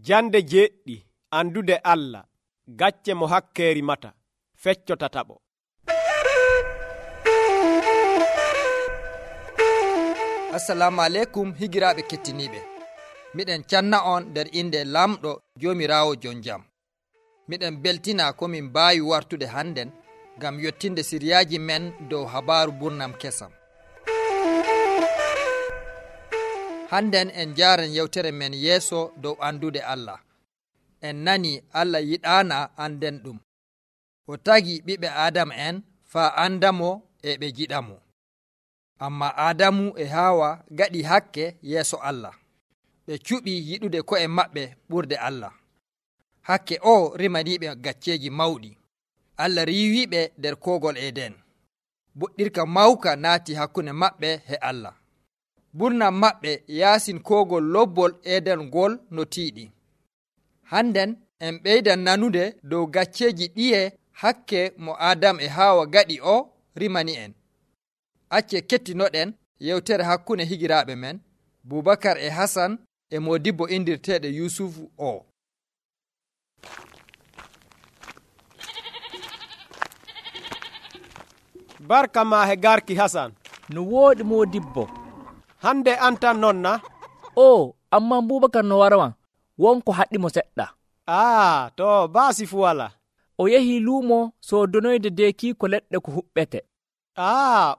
Jande jeɗɗi andude Allah, gacce mo hakke rimata, fecco tataɓo. Assalamu aleykum higiraaɓe kettiniiɓe. Miɗen canna on nder inde lamɗo Joomiraawo jon jam. Miɗen beltina ko min mbaawi wartude hannden ngam yottinde siriyaaji men dow habaaru burnam kesam. Hannden en njaaran yewtere men yeeso dow andude Allah. En nani Allah yiɗaana anden ɗum. O tagi ɓiɓɓe Aadama en faa andamo e ɓe jiɗamo. Amma Aadamu e Haawa gaɗi hakke yeeso Allah. Ɓe cuɓi yiɗude ko'e maɓɓe ɓurde Allah. Hakke o rimaniiɓe gacceeji mawɗi. Allah riiwiiɓe nder koogol Eden. Boɗɗirka mawka naati hakkunde maɓɓe e Allah. Burnam maɓɓe yaasin koogol lobbol Eden ngol no tiiɗi. Hannden en ɓeydan nanude dow gacceeji ɗiye hakke mo Aadam e Haawa gaɗi o rimani en. Acce kettinoɗen yewtere hakkunde higiraaɓe men Bubakar e Hasan e modibbo indirteeɗo Yusufu o. Barka ma he garki Hasan. No wooɗi modibbo. Hande an tan nonna? O, amma Bubakar no warawan, wonko haɗɗimo seɗɗa. To baasi fu wala. O yehi luumo soodonoyde deekiiko leɗɗe ko huɓɓete.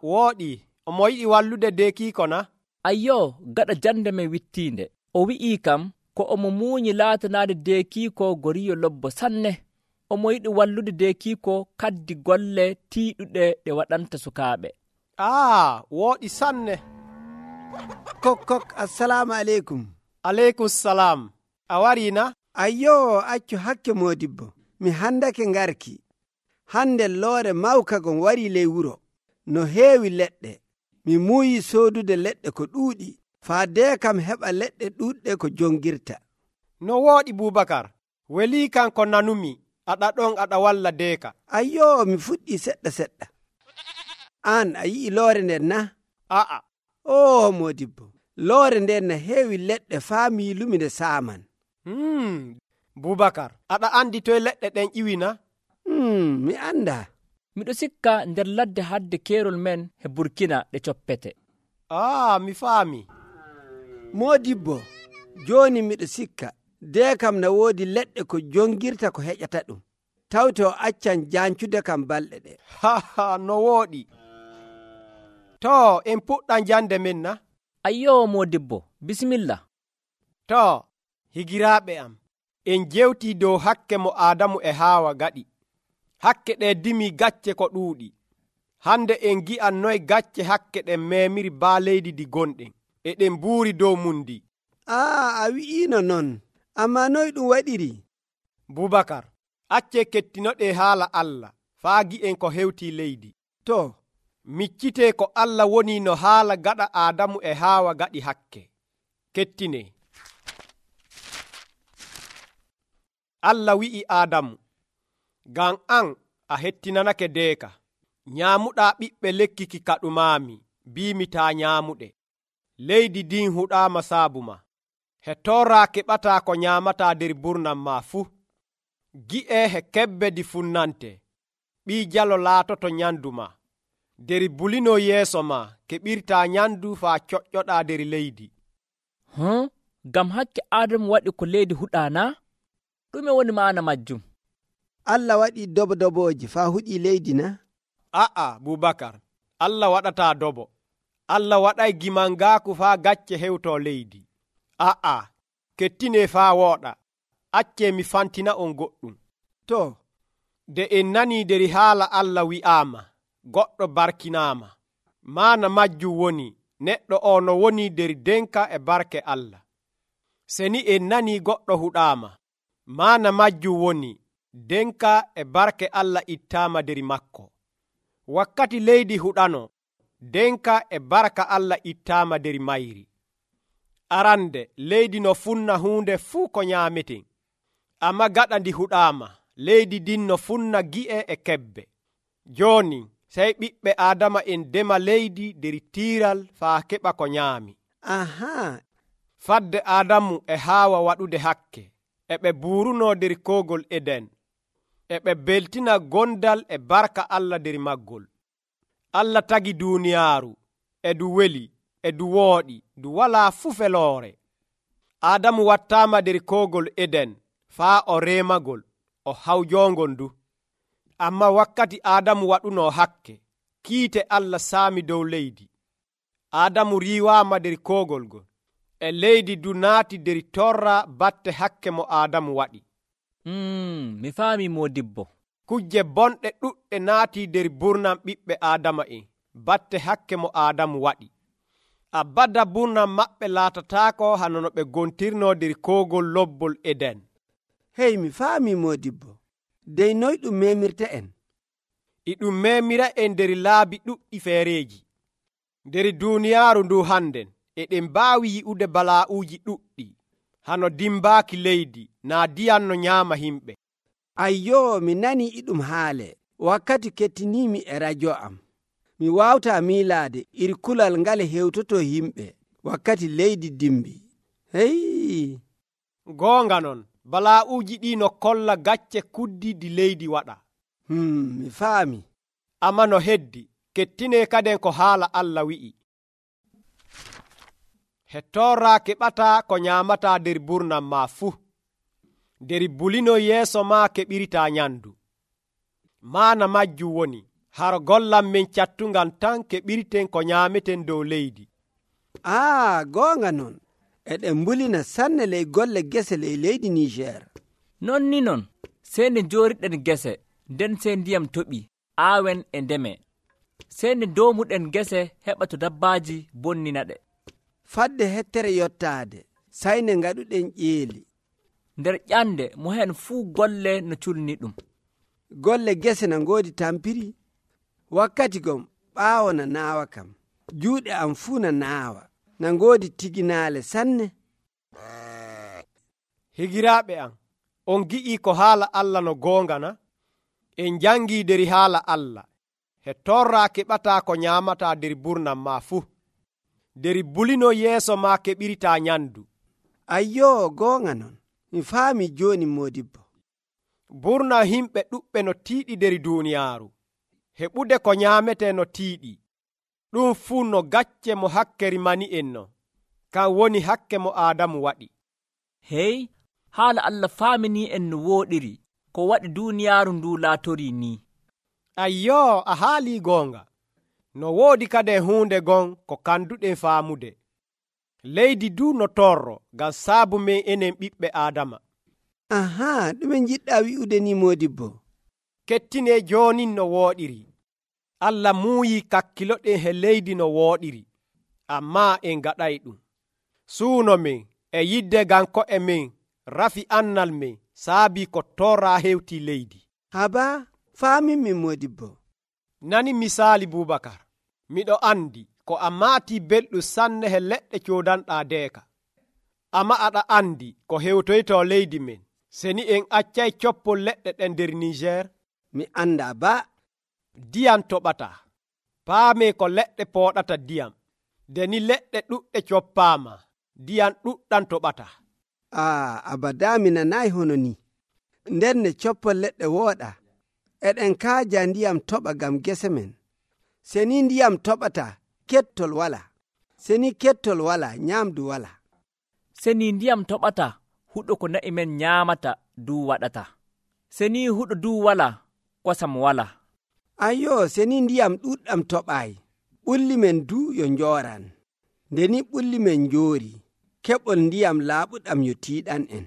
Wooɗi. Omo yiɗi wallude deekiiko na? Ayyo, gaɗa jande men wittiinde. O wi'ii kam ko omo muuñi laatanaade deekiiko goriyo lobbo sanne. Omo yiɗi wallude deekiiko kaddi golle tiiɗuɗe ɗe waɗanta sukaaɓe. Wooɗi sanne. Kok, assalamu aleykum. Aleykum salam. A wariina? Ayyo, accu hakke modibbo. Mi handake ngarki. Hande loore mawka gon wari ley wuro. No heewi leɗɗe. Mi muuyi soodude leɗɗe ko ɗuuɗi. Faa dee kam heɓa leɗɗe ɗuuɗɗe ko jongirta. No wooɗi Bubakar. Welii kan ko nanumi. Aɗa ɗon aɗa walla deeka. Ayyo, mi fuɗɗii seɗɗa. An a yi'i loore nden na? Aa. Modibbo. Loore nden na heewi leɗɗe faa miilumi nde saaman. Bubakar, aɗa andi toye leɗɗe ɗen iwina? Mi anda. Miɗo sikka nder ladde hadde keerol men he Burkina ɗe coppete. Mi faami. Modibbo, jooni miɗo sikka dee kam na woodi leɗɗe ko jongirta ko heƴata ɗum. Tawte o accan jancude kam balɗe ɗe. No wooɗi. To, en puɗɗan jande men na? Ayyo modibbo, bisimilla. To, higiraaɓe am, en jewtii dow hakke mo Aadamu e Haawa gaɗi. Hakke ɗe dimi gacce ko ɗuuɗi. Hande en gi'an noy gacce hakke ɗen memiri baa leydi di gonɗen, e ɗen buuri dow mundi. A wi'iino non, amma noy ɗum waɗiri? Bubakar, acce kettinoɗe haala Allah, faa gi'en ko hewtii leydi. To, miccitee ko Allah woni no haala gaɗa Aadamu e Haawa gaɗi hakke. Kettine. Allah wi'i Aadamu, ngam an a hettinanake deeka, nyaamuɗaa ɓiɓɓe lekki ki kaɗumaami, biimi taa nyaamuɗe. Leydi din huɗaama saabu ma. He tooraa keɓataa ko nyaamataa der burnam ma fuu. Gi'e he kebbe di funnante, ɓii jalo laatoto nyandu ma. Der bulino yeeso ma keɓirtaa nyandu faa coƴƴoɗaa der leydi. Ngam hakke Aadamu waɗi ko leydi huɗaana? Ɗume woni maana majjum? Allah waɗi dobooji faa huɗii leydi na? Bubakar, Allah waɗataa dobo. Allah waɗay gimangaaku faa gacce hewtoo leydi. Kettine faa wooɗa. Accee mi fantina on goɗɗum. To, de en nanii der haala Allah wi'aama, goɗɗo barkinaama. Maana majjum woni, neɗɗo o no woni der denka e barke Allah. Seni en nanii goɗɗo huɗaama. Maana majjum woni, denka e barke Allah ittaama der makko. Wakkati leydi huɗano, denka e barka Allah ittaama der mayri. Arande leydi no funna huunde fuu ko nyaameten. Amma gaɗa ndi huɗaama, leydi din no funna gi'e e kebbe. Jooni, sey ɓiɓɓe Aadama en dema leydi der tiiral faa keɓa ko nyaami. Fadde Aadamu e Haawa waɗude hakke. e ɓe buuruno der kogol Eden, e ɓe beltina gondal e barka Allah der maggol. Allah tagi duniyaaru, e du weli, e du wooɗi, du walaa fu feloore. Adamu wattaama der kogol Eden faa o reemagol, o hawjoongol ndu. Amma wakkati Adamu waɗuno hakke, kiite Allah saami dow leydi. Adamu riiwaama der kogol gol, e leydi du naati der torra batte hakke mo Adamu waɗi. Mi faami modibbo. Kujje bonɗe ɗuɗɗe naati der burnam ɓiɓɓe Adama'en batte hakke mo Adamu waɗi. Abada burnam maɓɓe laatataako hano no ɓe gontirno der kogol lobbol Eden. Hey, mi faami modibbo. Dey noy ɗum memirta en? E ɗum memira en der laabi ɗuɗɗi feereji. Der duniyaaru ndu hannden eɗen mbaawi yi'ude balaa'uuji ɗuɗɗi, hano dimbaaki leydi naa diyan no nyaama himɓe. Ayyo, mi nani iɗum haale wakkati kettinimi e radio am. Mi wawta miilaade iri kulal ngal hewtoto himɓe wakkati leydi dimbi. Hey! Goonga non, balaa'uuji ɗi no kolla gacce kuddiɗi leydi waɗa. Mi faami. Amma no heddi, kettine kaden ko haala Allah wi'i. Hettora keɓata ko nyaamata der burnam ma fuu. Der bulino yeeso ma keɓirita nyandu. Maana majjum woni, haro gollam men cattungal tan keɓirten ko nyaameten dow leydi. Goonga non. Eɗen mbulina sanne ley golle gese ley leydi Niger. Non ni non, sey nde jooriɗen gese, nden sey ndiyam toɓi, aawen e ndeme. Sey nde doomuɗen gese heɓa to dabbaaji bonnina ɗe. Fadde hettere yottaade, sayne ngaɗuɗen ƴeeli. Nder ƴande mo hen fuu golle no culni ɗum. Golle gese na ngoodi tampiri. Wakkati gom ɓaawo na naawa kam. Juuɗe am fuu na naawa. Na ngoodi tiginaale sanne. Higiraaɓe am, on gi'ii ko haala Allah no goonga na? En jangii der haala Allah. He torra keɓata ko nyaamata der burnam ma fuu. Der bulino yeeso ma keɓirita nyandu. Ayyo, goonga non. Mi faami jooni modibbo. Burna himɓe ɗuɓɓe no tiiɗi der duniyaaru. Heɓude ko nyaamete no tiiɗi. Ɗum fuu no gacce mo hakkeri mani en no. Kan woni hakke mo Adamu waɗi. Hey, haala Allah faamini en no wooɗiri, ko waɗi duniyaaru ndu laatori ni. Ayyo, a haali goonga. No woodi kaden huunde gon ko kanduɗen faamude. Leydi du no torro ngam saabu men enen ɓiɓɓe Adama. Ɗume jiɗɗa wi'ude ni modibbo? Kettine joonin no wooɗiri. Allah muuyi kakkiloɗen he leydi no wooɗiri, amma en gaɗay ɗum. Suuno men e yidde ganko e men rafi annal men saabi ko torra hewti leydi. Haba, faamin min modibbo. Nani misaali Bubakar, miɗo andi ko a maati belɗum sanne he leɗɗe coodanɗa deeka. Amma aɗa andi ko hewtoyto leydi men, seni en accay coppol leɗɗe ɗen der Niger. Mi anda ba. Diyam toɓata. Paame ko leɗɗe pooɗata diyam. Deni leɗɗe ɗuɗɗe coppaama, diyam ɗuɗɗam toɓata. Abada mi nanayi hono ni. Nden ne coppol leɗɗe wooɗa. Eɗen kaaja ndiyam toɓa gam gese men. Seni ndiyam toɓata, kettol wala. Seni kettol wala, nyamdu wala. Seni ndiyam toɓata, huɗo ko na'i men nyaamata du waɗata. Seni huɗo du wala, kosam wala. Ayyo, seni ndiyam ɗuɗɗam toɓayi, ɓulli men du yo njooran. Ndeni ɓulli men njoori, keɓol ndiyam laaɓuɗam yo tiiɗan en.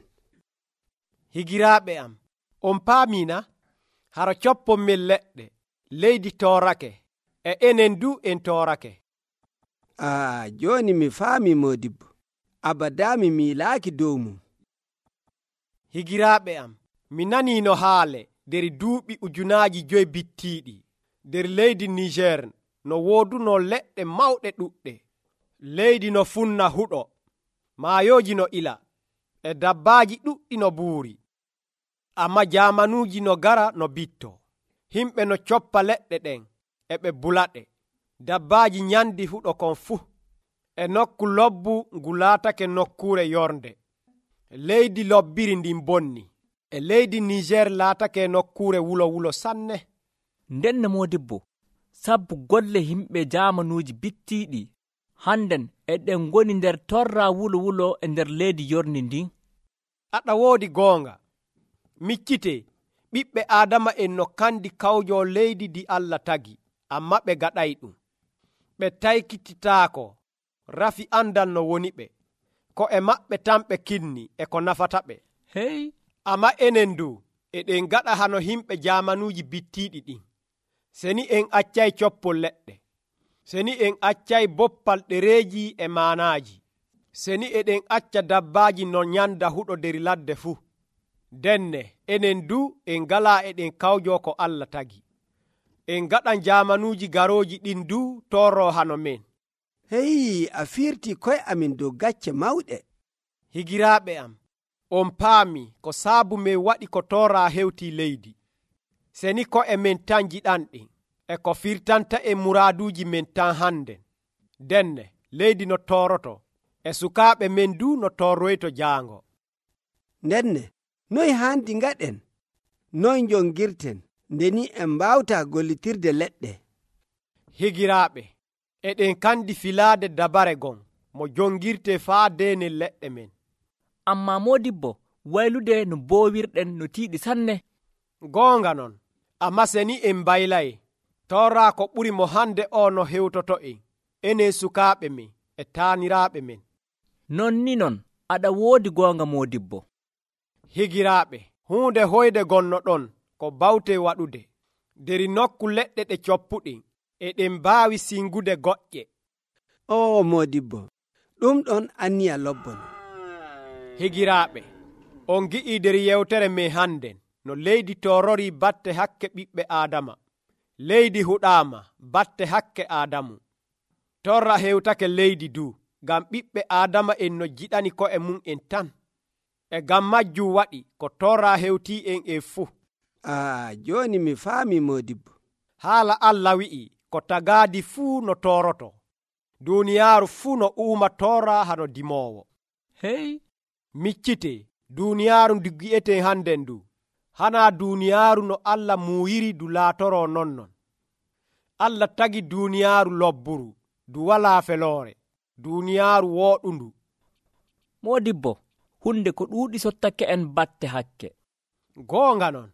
Higiraaɓe am, on paamina, haro coppon men leɗɗe, leydi toorake, e enen du en toorake. Jooni mi faami modibbo, abada mi miilaaki dow mum. Higiraaɓe am, mi nanii no haale der duuɓi 5,000 bittiiɗi der leydi Niger no wooduno leɗɗe mawɗe ɗuɗɗe. Leydi no funna huɗo, maayooji no ila, e dabbaaji ɗuɗɗi no buuri. Amma jaamanuuji no gara no bitto. Himɓe no coppa leɗɗe ɗen, e ɓe bulaɗe. Dabbaaji nyandi huɗo kon fuu. E nokku lobbu ngu laatake nokkuure yornde. leydi lobbiri ndin bonni, e leydi Niger laatake nokkuure wulo sanne. Nden modibbo, sabbu golle himɓe jaamanuuji bittiiɗi hannden eɗen ngoni nder torra wulo e nder leydi yorndi ndin. Aɗa woodi goonga. Miccite, ɓiɓɓe Aadama en no kandi kawjo leydi di Allah tagi, amma ɓe gaɗay ɗum. Ɓe taykititaako, rafi andal no woni ɓe, ko e maɓɓe tan ɓe kinni e ko nafata ɓe. Hey, amma enen du eɗen gaɗa hano himɓe jaamanuuji bittiiɗi ɗin. Seni en accay coppol leɗɗe, seni en accay boppal ɗereeji e maanaaji, seni eɗen acca dabbaaji no nyanda huɗo der ladde fuu. Denne enen du en galaa eɗen kawjo ko Allah tagi. En gaɗan jaamanuuji garooji ɗin du torro hano men. Hey, a firti koye amin dow gacce mawɗe. Higiraaɓe am, on paami ko saabu men waɗi ko toora hewti leydi. Seni ko e men tan jiɗanɗen, e ko firtanta e muraaduuji men tan hannden. Denne leydi no tooroto, e sukaaɓe men du no torroyto jaango. Ndenne, noy haandi ngaɗen? Noy jongirten, ndeni en mbawta gollitirde leɗɗe? Higiraaɓe, eɗen kandi filaade dabare gon mo jongirte faa deene leɗɗe men. amma modibbo, waylude no boowirɗen no tiiɗi sanne. Goonga non, amma seni en mbaylay, torra ko ɓuri mo hande o no hewtoto enen sukaaɓe men e taaniraaɓe men. Non ni non, aɗa woodi goonga modibbo. Higiraaɓe, huunde hoyde gonno ɗon ko bawte waɗude. Der nokku leɗɗe ɗe coppuɗen, eɗen mbaawi singude goƴƴe. O modibbo, ɗum ɗon anniya lobbon. Higiraaɓe, on gi'ii der yewtere men hannden no leydi torori batte hakke ɓiɓɓe Aadama. Leydi huɗaama batte hakke Aadamu. Torra hewtake leydi du, ngam ɓiɓɓe Aadama en no jiɗani ko'e mum en tan. E ngam majjum waɗi ko torra hewti en fuu. Joni mi faami modibbo. Haala Allah wi'i ko tagaadi fuu no toroto. Duniyaaru fuu no uuma torra hano dimoowo. Hey, miccite duniyaaru ndu gi'eten hannden du. Hana duniyaaru no Allah muuyiri du laatoro nonnon. Allah tagi duniyaaru lobburu, du walaa feloore, duniyaaru wooɗundu. modibbo, hunde ko ɗuuɗi sottake en batte hakke. Goonga non,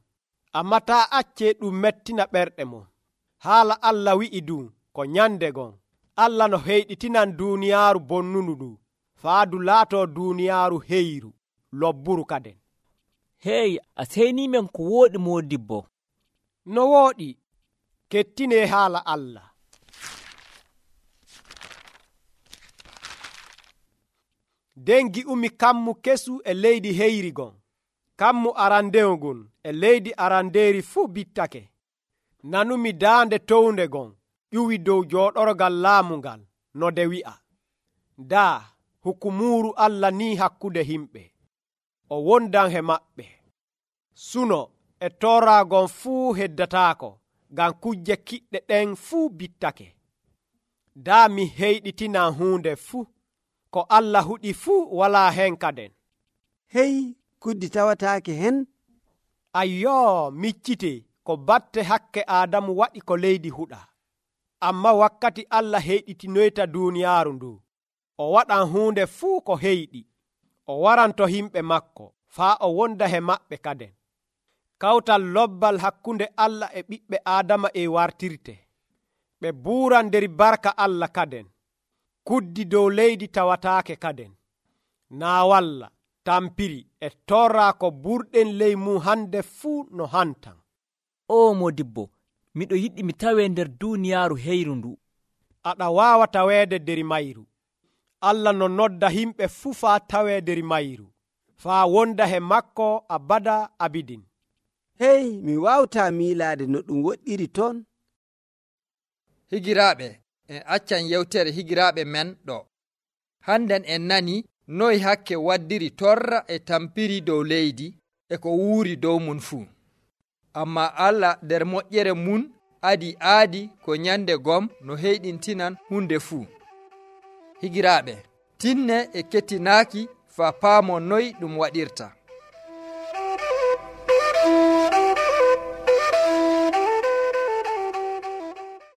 amma taa accee ɗum mettina ɓerɗe mon. Haala Allah wi'i du ko nyande gon, Allah no heyɗitinan duniyaaru bonnunu du, faa du laato duniyaaru heyru, lobburu kaden. Hey, a seynimen ko wooɗi modibbo. No wooɗi, kettine haala Allah. Den gi'umi kammu kesu e leydi heyri gon. Kammu arandewo gon e leydi arandeeri fuu bittake. Nanumi daande townde gon ƴuwi dow jooɗorgal laamu ngal no de wi'a. Daa hukumuru Allah ni hakkude himɓe. O wondan he maɓɓe. Suno e toraagon fuu heddataako, ngam kujje kiɗɗe ɗen fuu bittake. Daa mi heyɗitinan huunde fuu, ko Allah huɗi fuu walaa hen kaden. Hey, kuddi tawataake hen? Ayyoo, miccite ko batte hakke Aadamu waɗi ko leydi huɗa. Amma wakkati Allah heyɗitinoyta duniyaaru ndu, o waɗan huunde fuu ko heyɗi. O waranto himɓe makko, faa o wonda he maɓɓe kaden. Kawtal lobbal hakkunde Allah e ɓiɓɓe Aadama e wartirte. Ɓe buuran der barka Allah kaden. Kuddi dow leydi tawataake kaden. Naa walla tampiri e torra ko burɗen ley mum hande fuu no hantan. O modibbo, miɗo yiɗi mi tawe nder duniyaaru heyru ndu. Aɗa waawa taweede der mayru. Allah no nodda himɓe fuu faa tawe der mayru, faa wonda he makko abada abidin. Hey, mi wawta miilaade no ɗum woɗɗiri toon. Higiraaɓe, en accan yewtere higiraaɓe men ɗo. Hannden en nani noy hakke waddiri torra e tampiri dow leydi e ko wuuri dow mun fuu. Amma Allah nder moƴƴere mun aadi ko nyande gom no heyɗintinan hunde fuu. Higiraaɓe, tinne e kettinaaki faa paamo noy ɗum waɗirta.